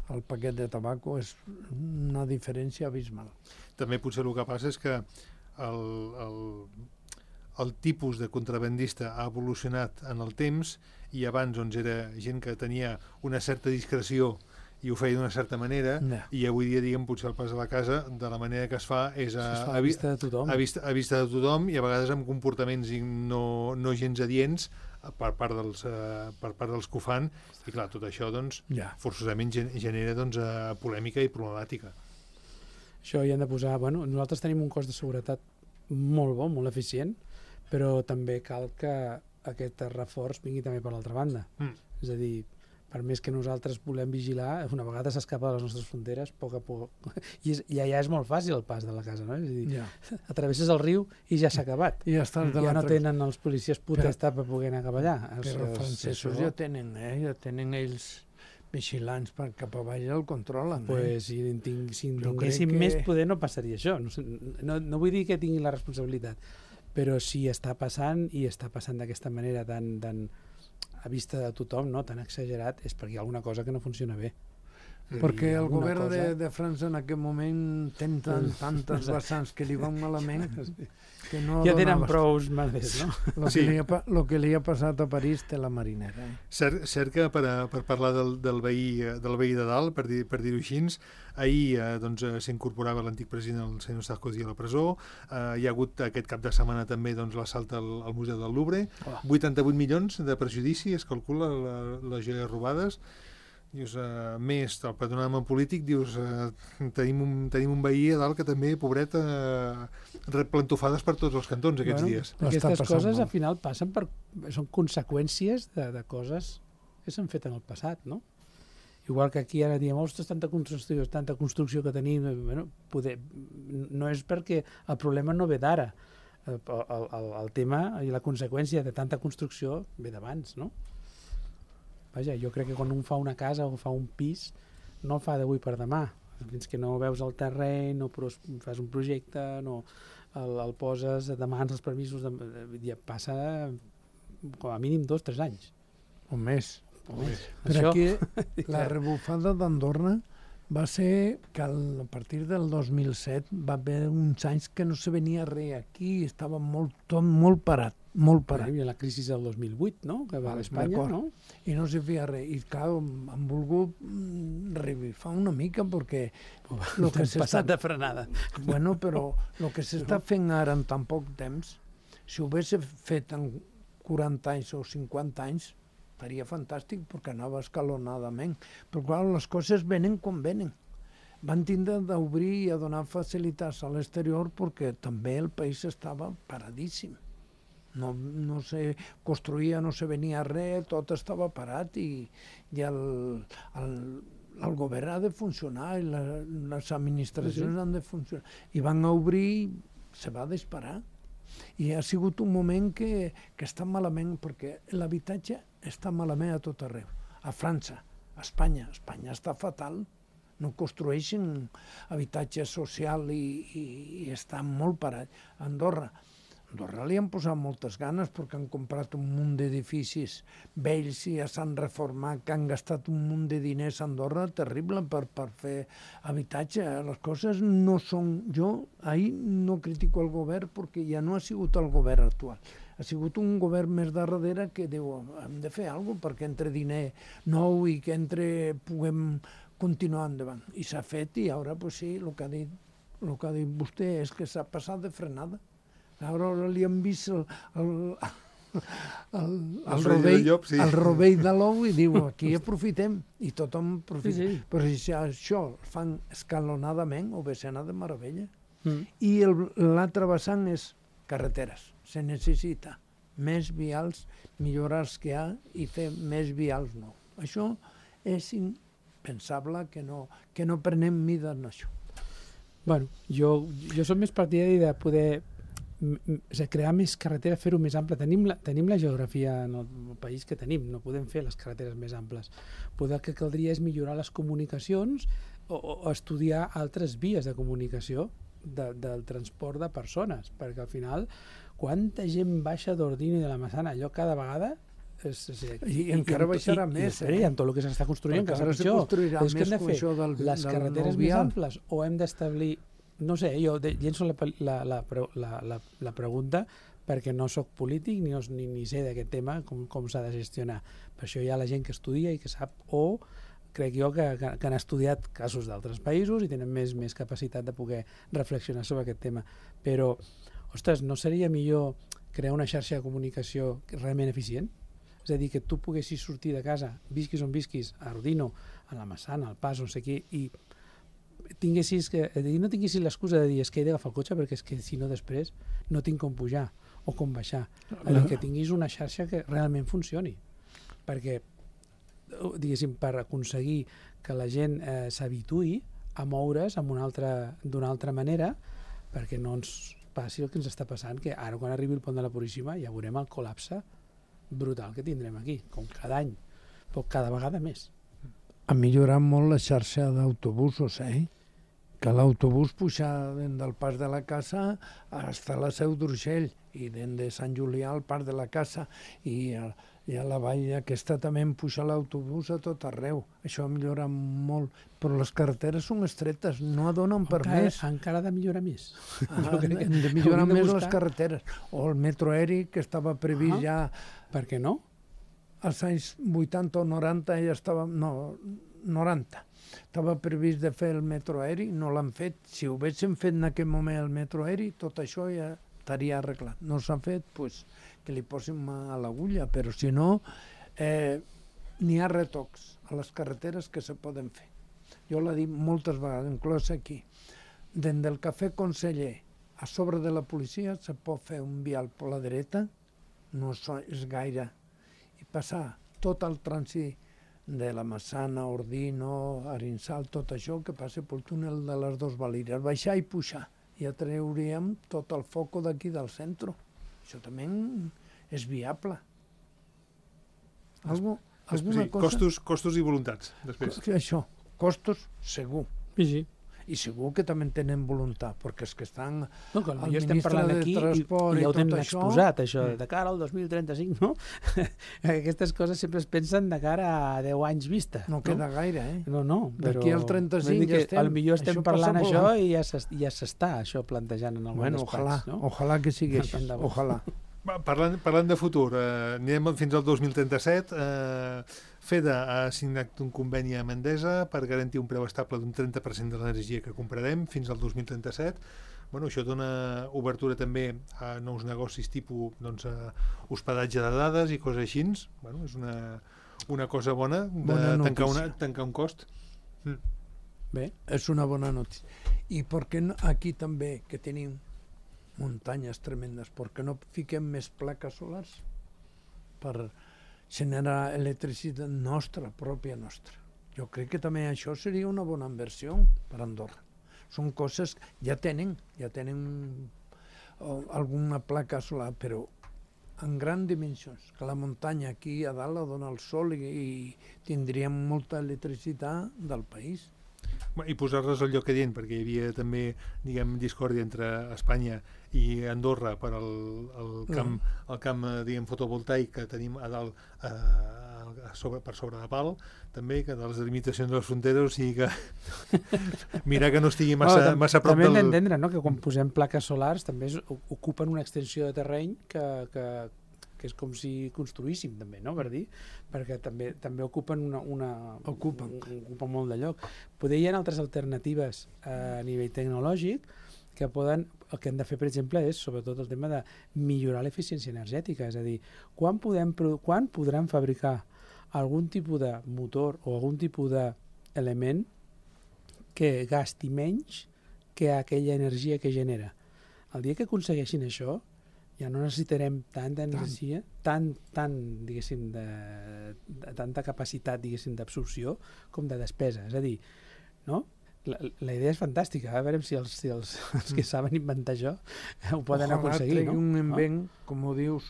El paquet de tabaco és una diferència abismal. També potser el que passa és que el, el, el tipus de contrabandista ha evolucionat en el temps i abans doncs, era gent que tenia una certa discreció i ho feia d'una certa manera no. I avui dia, diguem, potser el pas a la casa de la manera que es fa és a, es fa a, vista de tothom. A, vista, a vista de tothom i a vegades amb comportaments no, no gens adients per part dels, uh, per part dels que ho fan i clar, tot això doncs, ja. Forçosament genera doncs, uh, polèmica i problemàtica. Això hi han de posar... Bueno, nosaltres tenim un cos de seguretat molt bo, molt eficient, però també cal que aquest reforç vingui també per l'altra banda. Mm. És a dir, per més que nosaltres volem vigilar, una vegada s'escapa de les nostres fronteres, a poc a poc. I, és, I allà és molt fàcil el pas de la casa, no? És a dir, Ja. atravesses el riu i ja s'ha acabat. I ja estàs de Ja no l'altre... tenen els policies potestat per poder anar cap allà. Però els francesos ja tenen, eh? Ja tenen ells vigilants per cap avall el controlen. Pues, si en tinc, si en Jo tinguéssim crec que- més poder no passaria això. No, sé, no, no vull dir que tinguin la responsabilitat, però si està passant i està passant d'aquesta manera tan, tan a vista de tothom, no? Tan exagerat, és perquè hi ha alguna cosa que no funciona bé. Perquè el alguna govern cosa- de, de França en aquest moment ten tan, tantes vessants que li van malament que no Ja tenen donava- prous males, no? Lo que, Sí. li ha, pa- lo que li ha passat a París té la marinera. Eh? Cert, cert que per, a, per parlar del, del, veí, eh, del veí de dalt, per, dir, per dir-ho així, ahir eh, doncs, eh, s'incorporava l'antic president, el senyor Sarkozy, a la presó. Eh, hi ha hagut aquest cap de setmana també doncs, l'assalt al, al Museu del Louvre. Oh. vuitanta-vuit milions de perjudici, es calcula, la, les joies robades. Dius, uh, més del panorama polític, dius, uh, tenim, un, tenim un veí a dalt que també, pobret, uh, rep plantofades per tots els cantons aquests Bueno, dies. L'està Aquestes passant coses molt. al final passen per... són conseqüències de, de coses que s'han fet en el passat, no? Igual que aquí ara diem, ostres, tanta construcció, tanta construcció que tenim, eh, bueno, poder, no és perquè el problema no ve d'ara, el, el, el, el tema i la conseqüència de tanta construcció ve d'abans, no? Vaja, jo crec que quan un fa una casa o fa un pis, no el fa d'avui per demà. Fins que no veus el terreny, no pros, fas un projecte, no el, el poses, demanes els permisos, de, ja passa com a mínim dos, tres anys. O més. O més. Per Això, aquí, la rebufada d'Andorra va ser que al, a partir del dos mil set va haver uns anys que no se venia res aquí, estava molt, tot molt parat, molt parat. hi havia la crisi del dos mil vuit, no?, que va a Espanya, D'acord. no? I no se feia res. I clar, han volgut mm, revifar una mica perquè lo que T'hem s'està... passat de frenada. Bueno, però el que s'està fent ara en tan poc temps, si ho hagués fet en quaranta anys o cinquanta anys, seria fantàstic perquè anava escalonadament. Però clar, les coses venen com venen. Van tindre d'obrir i a donar facilitats a l'exterior perquè també el país estava paradíssim. No, no se construïa, no se venia res, tot estava parat i, i el, el, el govern ha de funcionar i la, les administracions Sí. han de funcionar. I van a obrir i se va disparar. I ha sigut un moment que, que està malament, perquè l'habitatge està malament a tot arreu. A França, a Espanya. A Espanya està fatal. No construeixen habitatge social i, i, i està molt parat. A Andorra. A Andorra li han posat moltes ganes perquè han comprat un munt d'edificis vells i ja s'han reformat, que han gastat un munt de diners a Andorra terrible per, per fer habitatge. Les coses no són... Jo ahir no critico el govern perquè ja no ha sigut el govern actual. Ha sigut un govern més de darrere que diu hem de fer alguna cosa perquè entre diner nou i que entre puguem continuar endavant. I s'ha fet i ara, pues sí, el que ha dit, el que ha dit vostè és que s'ha passat de frenada. Ara li han vist el, el, el, el, el, El rovell, del llop, sí. el rovell de l'ou i diu aquí aprofitem i tothom aprofita. Sí, sí. Però si això el fan escalonadament ho ve anar de meravella. Mm. I el- l'altre vessant és carreteres. Se necessita més vials, millorar els que hi ha i fer més vials nous. Això és impensable que no, que no prenem mida en això. Bueno, jo, jo som més partidari de poder m- m- o sigui, crear més carretera, fer-ho més ample. Tenim la, tenim la geografia en el, el país que tenim, no podem fer les carreteres més amples. Poder el que caldria és millorar les comunicacions o, o estudiar altres vies de comunicació de, del transport de persones, perquè al final, quanta gent baixa d'Ordino i de la Massana, allò cada vegada... És, és, I encara amb to- baixarà i, més, I, eh? i amb tot el que s'està construint, Perquè encara ara serà se pitjor. construirà És que més hem de com fer això del- les del carreteres nou més vial. amples o hem d'establir... No sé, jo de, llenço la, la, la, la, la, la pregunta perquè no sóc polític ni, ni, ni sé d'aquest tema, com, com s'ha de gestionar. Per això hi ha la gent que estudia i que sap, o crec jo que, que, que han estudiat casos d'altres països i tenen més, més capacitat de poder reflexionar sobre aquest tema. Però, ostres, no seria millor crear una xarxa de comunicació realment eficient? És a dir, que tu poguessis sortir de casa, visquis on visquis, a Ordino, a la Massana, al Pas, on sé qui, i tinguessis que, no tinguessis l'excusa de dir és que he d'agafar el cotxe perquè és que si no després no tinc com pujar o com baixar. És a dir, que tinguis una xarxa que realment funcioni. Perquè diguéssim, per aconseguir que la gent eh, s'habituï a moure's d'una altra, d'una altra manera, perquè no ens passi el que ens està passant, que ara quan arribi el pont de la Puríssima ja veurem el col·lapse brutal que tindrem aquí, com cada any, però cada vegada més. Ha millorat molt la xarxa d'autobusos, eh? Que l'autobús puja des del Pas de la Casa fins a la Seu d'Urgell i des de Sant Julià al Parc de la Casa i a, i a la vall aquesta també em puja l'autobús a tot arreu. Això ha millorat molt, però les carreteres són estretes, no donen per encara, més. Encara ha de millorar més. Ah, hem de millorar més buscar... les carreteres. O el metro aeri, que estava previst ah, ja... Per què no? Als anys vuitanta o noranta ja estava... No, noranta. Estava previst de fer el metro aeri, no l'han fet. Si ho haguéssim fet en aquell moment el metro aeri, tot això ja estaria arreglat. No s'ha fet, doncs que li posin mà a l'agulla, però si no, eh, n'hi ha retocs a les carreteres que se poden fer. Jo l'he dit moltes vegades, inclòs aquí. Des del Cafè Conseller a sobre de la policia se pot fer un vial per la dreta, no és gaire, i passar tot el trànsit de la Massana, Ordino, Arinsal, tot això que passa pel túnel de les dos Valires, baixar i pujar. Ja treuríem tot el foc d'aquí del centre. Això també és viable. Algo, alguna sí, cosa... Costos, costos i voluntats, després. Això, costos, segur. Sí, sí. I segur que també tenen voluntat, perquè els que estan no, que al estem ministre de aquí Transport i, i i ja ho tot tenen això... exposat, això, de cara al dos mil trenta-cinc, no? Aquestes coses sempre es pensen de cara a deu anys vista. No, no? queda gaire, eh? No, no, però... D'aquí al trenta-cinc ja estem... Potser estem això parlant això i ja s'està això plantejant en alguns bueno, espais, ojalà, no? Ojalà que sigui així, ojalà. Va, parlant, parlant de futur, eh, anirem fins al dos mil trenta-set. Eh, FEDA ha signat un conveni amb Endesa per garantir un preu estable d'un trenta per cent de l'energia que comprarem fins al dos mil trenta-set. Bueno, això dona obertura també a nous negocis tipus doncs, a hospedatge de dades i coses així. Bueno, és una, una cosa bona de bona tancar, una, tancar un cost. Mm. Bé, és una bona notícia. I per què no, aquí també, que tenim muntanyes tremendes, per què no fiquem més plaques solars per generar electricitat nostra, pròpia nostra? Jo crec que també això seria una bona inversió per Andorra. Són coses que ja tenen, ja tenen alguna placa solar, però en grans dimensions, que la muntanya aquí a dalt la dona el sol i, i tindríem molta electricitat del país. I posar-les al lloc adient, perquè hi havia també, diguem, discòrdia entre Espanya i Andorra per al, el camp, el camp diguem, fotovoltaic que tenim a dalt a, a sobre, per sobre de Pal, també, que de les limitacions de les fronteres, o sigui que mirar que no estigui massa, no, massa a prop també del... També hem d'entendre, no?, que quan posem plaques solars també es, ocupen una extensió de terreny que, que, que és com si construíssim també, no?, per dir, perquè també també ocupen una, una ocupen. Un, ocupen molt de lloc. Poder hi ha altres alternatives a nivell tecnològic que poden, el que hem de fer, per exemple, és sobretot el tema de millorar l'eficiència energètica, és a dir, quan, podem, quan podran fabricar algun tipus de motor o algun tipus d'element que gasti menys que aquella energia que genera. El dia que aconsegueixin això, ja no necessitarem tanta energia, tant, tant, diguéssim, de, de tanta capacitat, diguéssim, d'absorció com de despesa. És a dir, no? La, la idea és fantàstica, a veure si els, si els, els que saben inventar això ho poden Ojalà aconseguir, no? un invent, no? Com ho dius,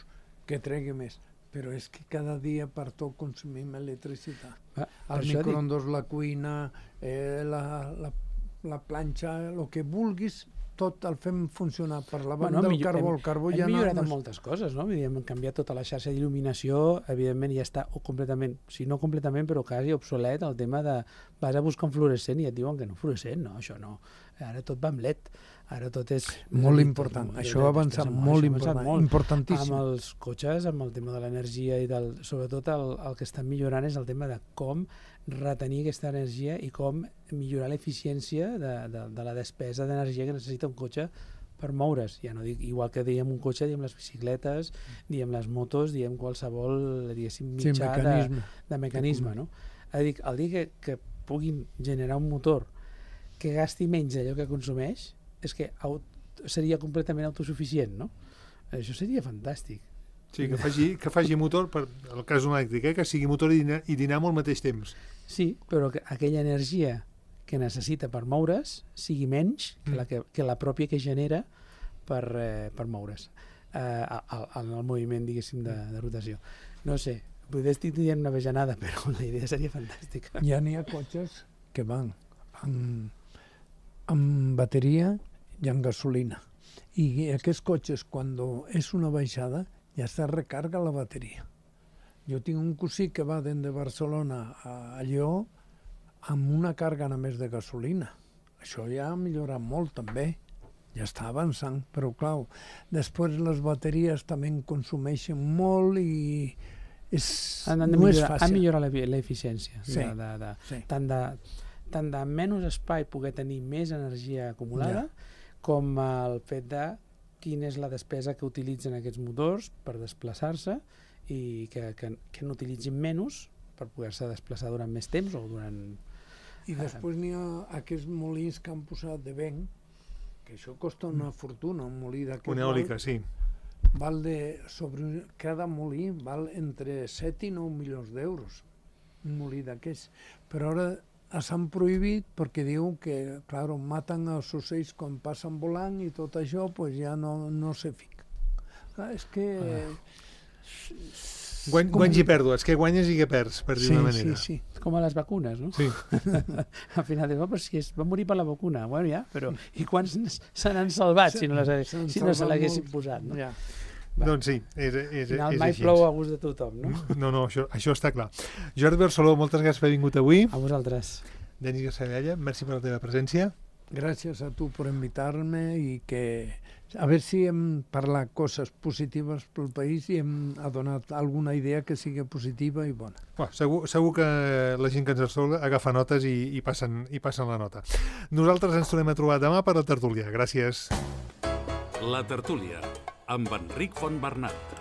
que tregui més. Però és que cada dia per tot consumim electricitat. Ah, el microondes, la cuina, eh, la, la, la planxa, el que vulguis, tot el fem funcionar per la banda bueno, del carbó. Hem, el carbó hem ja millorat no, en moltes coses, no? Hem canviat tota la xarxa d'il·luminació, evidentment ja està completament, si no completament, però quasi obsolet el tema de vas a buscar un fluorescent i et diuen que no fluorescent, no, això no. Ara tot va amb L E D, ara tot és... Molt important, tot, això ha avançat molt, important, molt, importantíssim. Amb els cotxes, amb el tema de l'energia i del, sobretot el, el que estan millorant és el tema de com retenir aquesta energia i com millorar l'eficiència de, de, de la despesa d'energia que necessita un cotxe per moure's. Ja no dic, igual que diem un cotxe, diem les bicicletes, diem les motos, diem qualsevol, diguéssim, mitjà sí, mecanisme. De, de mecanisme, no? A dir, el dia que, que puguin generar un motor que gasti menys d'allò que consumeix, és que seria completament autosuficient, no? Això seria fantàstic. Sí, que faci, que faci motor, per el cas d'un elèctric, eh? Que sigui motor i, dina, i dinamo al mateix temps. Sí, però que aquella energia que necessita per moure's sigui menys que la, que, que la pròpia que genera per, eh, per moure's eh, en el moviment, diguéssim, de, de rotació. No sé, potser estic dient una vejanada, però la idea seria fantàstica. Ja n'hi ha cotxes que van amb, amb bateria i amb gasolina. I aquests cotxes, quan és una baixada, ja se recarga la bateria. Jo tinc un cosí que va des de Barcelona a Lleó amb una càrrega només de gasolina. Això ja ha millorat molt també, ja està avançant, però clar, després les bateries també en consumeixen molt i és, han, han no millorar, és fàcil. Han millorat l'eficiència. Sí, de, de, de, sí. Tant, de, tant de menys espai poder tenir més energia acumulada, ja. Com el fet de quina és la despesa que utilitzen aquests motors per desplaçar-se i que, que, que n'utilitzin menys per poder-se desplaçar durant més temps o durant... I després n'hi ha aquests molins que han posat de vent, que això costa una fortuna, un molí d'aquest. Una eòlica, sí. Val de, sobre cada molí val entre set i nou milions d'euros, un molí d'aquests. Però ara s'han prohibit perquè diuen que, clar, maten els ocells quan passen volant i tot això pues ja no, no se fica. Clar, és que... Ah. Guany, guanys i pèrdues, que guanyes i que perds, per dir sí, una manera. Sí, sí. Com a les vacunes, no? Sí. Al final dius, oh, però si es va morir per la vacuna, bueno, ja, però i quants se n'han salvat si no, les, si no se l'haguessin posat, no? Ja. Va. Doncs sí, és, és, Al final és mai així. plou a gust de tothom, no? No, no, això, això està clar. Jordi Barceló, moltes gràcies per haver vingut avui. A vosaltres. Denis Gassabella, merci per la teva presència. Gràcies a tu per invitar-me i que a veure si hem parlat coses positives pel país i hem donat alguna idea que sigui positiva i bona. Bueno, segur, segur que la gent que ens escolta agafa notes i, i, passen, i passen la nota. Nosaltres ens tornem a trobar demà per la tertúlia. Gràcies. La tertúlia, amb Enric Fontbernat.